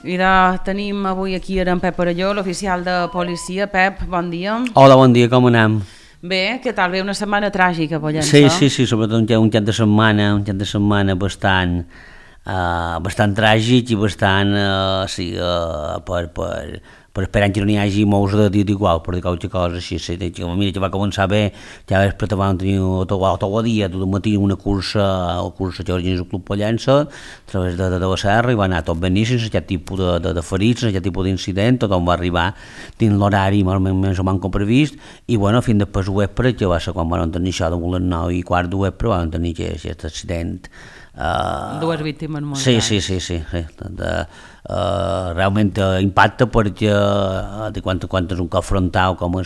I tenim avui aquí en Pep Parelló, l'oficial de policia. Pep, bon dia. Hola, bon dia, com anem? Bé, què tal? Bé, una setmana tràgica a Pollença. Sí, sobretot un cap de setmana bastant tràgic i bastant, per esperar que no n'hi hagi molts de dit igual, per dir qualque cosa així. Mira, que va començar bé, ja després vam tenir tot el dia, tot el matí, una cursa que organitza el Club Pollença, a través de la serra, i va anar tot beníssim, aquest tipus de ferits, aquest tipus d'incident, tothom va arribar dins l'horari més o menys com previst, i bueno, fins després ho vespre, que va ser quan van tenir això de les 9:15 de vespre, van tenir aquest accident. Dues víctimes mortals. Sí. Realment impacta perquè quan és un cop frontal com va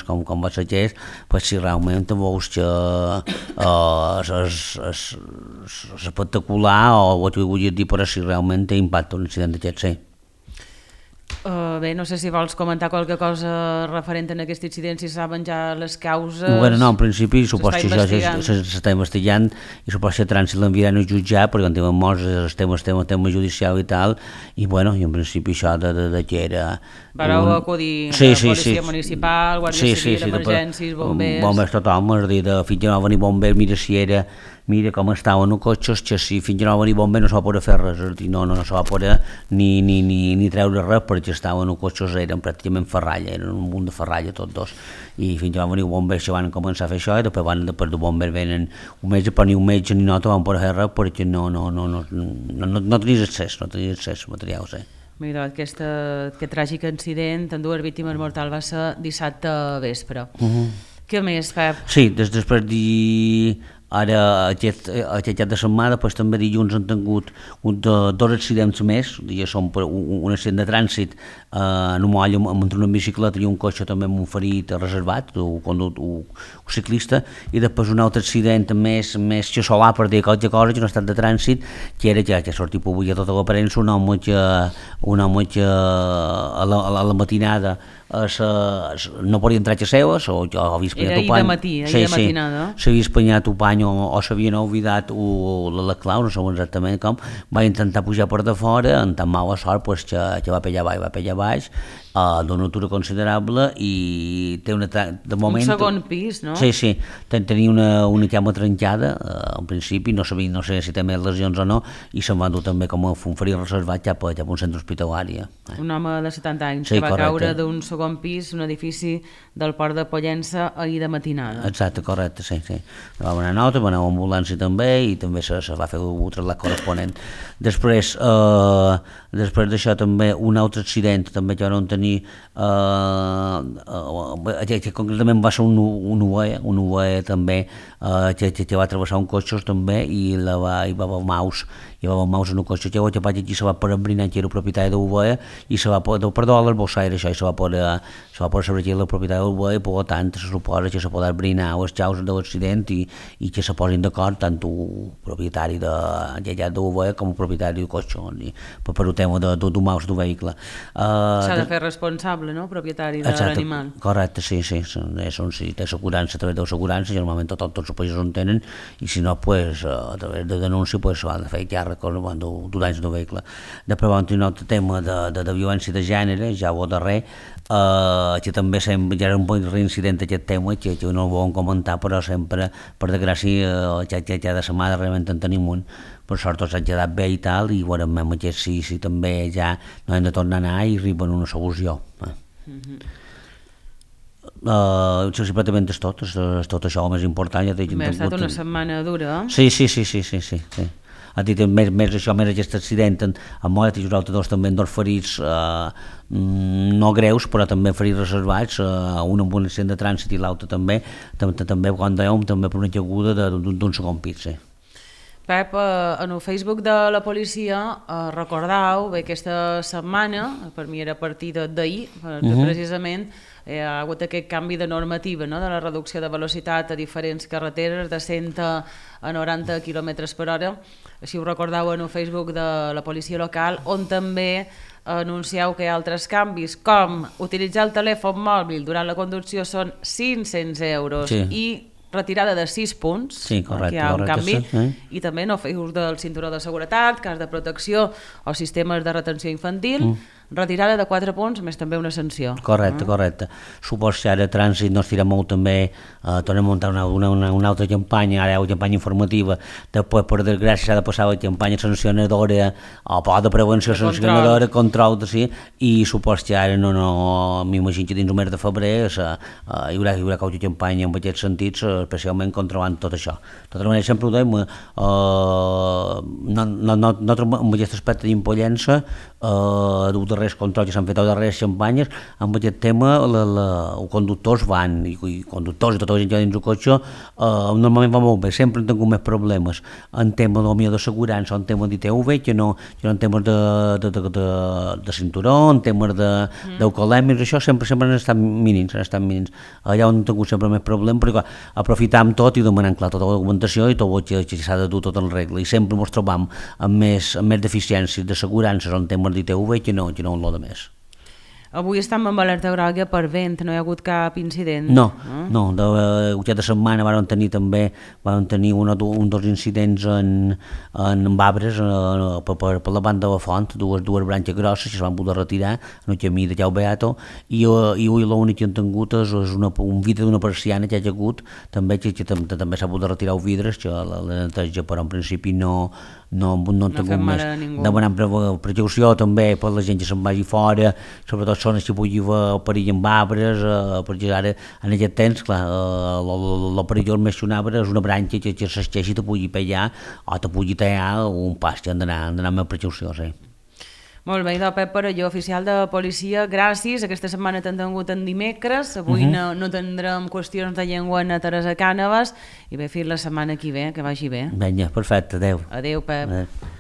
ser aquest, pues si realment veus que és espectacular o t'ho vull dir, però si realment té impacte un incident d'aquest, sí. Bé, no sé si vols comentar qualque cosa referent a aquest incident, si saben ja les causes. Bueno, no, en principi suposo que això s'està investigant i suposo que trànsit l'enviaran a jutjar perquè quan tenen molts tema judicial i tal, i bueno, i en principi això de que era... Vareu acudir a la policia municipal, guàrdia civil, emergències, bombers... Bombers tothom, és a dir, fins que no va venir bombers, mira com estaven els cotxes, que si fins que no va venir bomber no se va poder fer res, és a dir, no se va poder ni treure res, perquè estaven els cotxes, eren pràcticament ferralla, eren un munt de ferralla tots dos, i fins que va venir bombers que van començar a fer això, i després de bombers venen un metge, però ni un metge ni nota van poder fer res, perquè no tenies accés a material, sí. Mira, aquest tràgic incident amb dues víctimes mortals va ser dissabte vespre. Què més, Pep? Sí, després ara aquest cap de setmana, doncs també dilluns han tingut dos accidents més, són un accident de trànsit en un moll entre una bicicleta i un cotxe també amb un ferit reservat, un ciclista, i després un altre accident més que solar, per dir qualque cosa, que no ha estat de trànsit, que era que ha sortit avui a tota la premsa un home que a la matinada no podia entrar a casa seva, o havia espanyat un pany. Ahir de matinada. S'havia espanyat un pany o s'havien oblidat la clau, no sé exactament com, va intentar pujar per de fora, amb tan mala sort que va pellar baix, d'una altura considerable, i té de moment... Un segon pis, no? Sí, tenia una cama trencada, en principi, no sé si té més lesions o no, i se'n va dur també com un ferit reservat cap a un centre hospitalari. Un home de 70 anys que va caure d'un segon pis, un edifici del Port de Pollença ahir de matinada. Exacte, correcte, sí. Va anar nota, va anar a ambulància també, i també se va fer el trasllat corresponent. Després d'això també un altre accident també que van tenir, que concretament va ser un UAE també, que va travessar un cotxe també, i va haver maus en un cotxe que aquí se va poder embrinar que era el propietari de l'UAE, i se va poder, perdó, a l'Albossaire, això, i se va poder saber que era el propietari de l'UAE, i per tant se suposa que se podrà embrinar les causes de l'accident i que se posin d'acord tant el propietari de l'UAE com el propietari del cotxe, per un tema d'un maus d'un vehicle. S'ha de fer responsable, no?, propietari de l'animal. Correcte, sí, si té assegurança, a través de l'assegurança, normalment tots els països en tenen, i si no, a través de denúncia s'ha de fer càrrec d'un anys del vehicle. Després vam tenir un altre tema de violència de gènere, ja ho darrer, que també ja era un bon reincident aquest tema, que no el volem comentar, però sempre, per desgràcia, cada setmana realment en tenim un, per sort s'ha quedat bé i tal, i veurem aquest si també ja no hem de tornar a anar i arriben a una solució. Simplement és tot això el més important. Ha estat una setmana dura. Sí. Ha dit més aquest accident amb mort, i els altres dos també dos ferits no greus, però també ferits reservats, un amb un accident de trànsit i l'altre també quan dèiem, també per una caiguda d'un segon pis. Pep, en el Facebook de la policia recordau bé aquesta setmana, per mi era a partir d'ahir, precisament hi ha hagut aquest canvi de normativa, no?, de la reducció de velocitat a diferents carreteres de 100 a 90 km per hora. Així ho recordau en el Facebook de la policia local, on també anuncieu que hi ha altres canvis, com utilitzar el telèfon mòbil durant la conducció són 500 euros i retirada de 6 punts, que hi ha un canvi, i també no fer ús del cinturó de seguretat, cas de protecció o sistemes de retenció infantil, retirada de 4 punts, més també una sanció. Correcte. Supos que ara Trànsit no estirà molt també, tornem a muntar una altra campanya, ara hi ha una campanya informativa, després per desgràcia s'ha de passar la campanya sancionadora, o de prevenció sancionadora, control, sí, i supos que ara m'imagino que dins el mes de febrer hi haurà qualque campanya en aquest sentit, especialment controlant tot això. De tota manera, sempre ho dèiem, nosaltres amb aquest aspecte d'impollença, dels darrers controls que s'han fet, les darreres campanyes, amb aquest tema els conductors van, i conductors i tota la gent que va dins el cotxe, normalment va molt bé, sempre han tingut més problemes en temes d'assegurança, en temes d'ITV, que no en temes de cinturó, en temes d'alcoholèmics, això sempre han estat mínims, allà on han tingut sempre més problemes, però aprofitam tot i demanem clar tota la documentació i tot el que s'ha de dur tot en regla, i sempre ens trobam amb més deficiències d'assegurances en temes d'ITV que no en lo de més. Avui estem amb alerta groga per vent, no hi ha hagut cap incident? No, aquesta setmana van tenir un o dos incidents en arbres per la banda de la font, dues branques grosses que es van poder retirar en el camí de Jau Beato, i avui l'únic que han tingut és un vidre d'una persiana que hi ha hagut, també s'ha pogut retirar els vidres, que la neteja, però en principi no han tingut més. Demanem precaució també per la gent que se'n vagi fora, sobretot zones que pugui haver perill amb arbres, perquè ara en aquest temps, clar, el perillós més que un arbre és una branca que s'esqueixi i te pugui pegar o te pugui tallar un pas, que han d'anar amb precaució, sí. Molt bé, Pep Parelló, oficial de policia, gràcies. Aquesta setmana t'han tingut en dimecres, avui no tindrem qüestions de llengua a Teresa Cànovas, i bé, fins la setmana que ve, que vagi bé. Vinga, perfecte, adeu. Adeu, Pep. Adeu.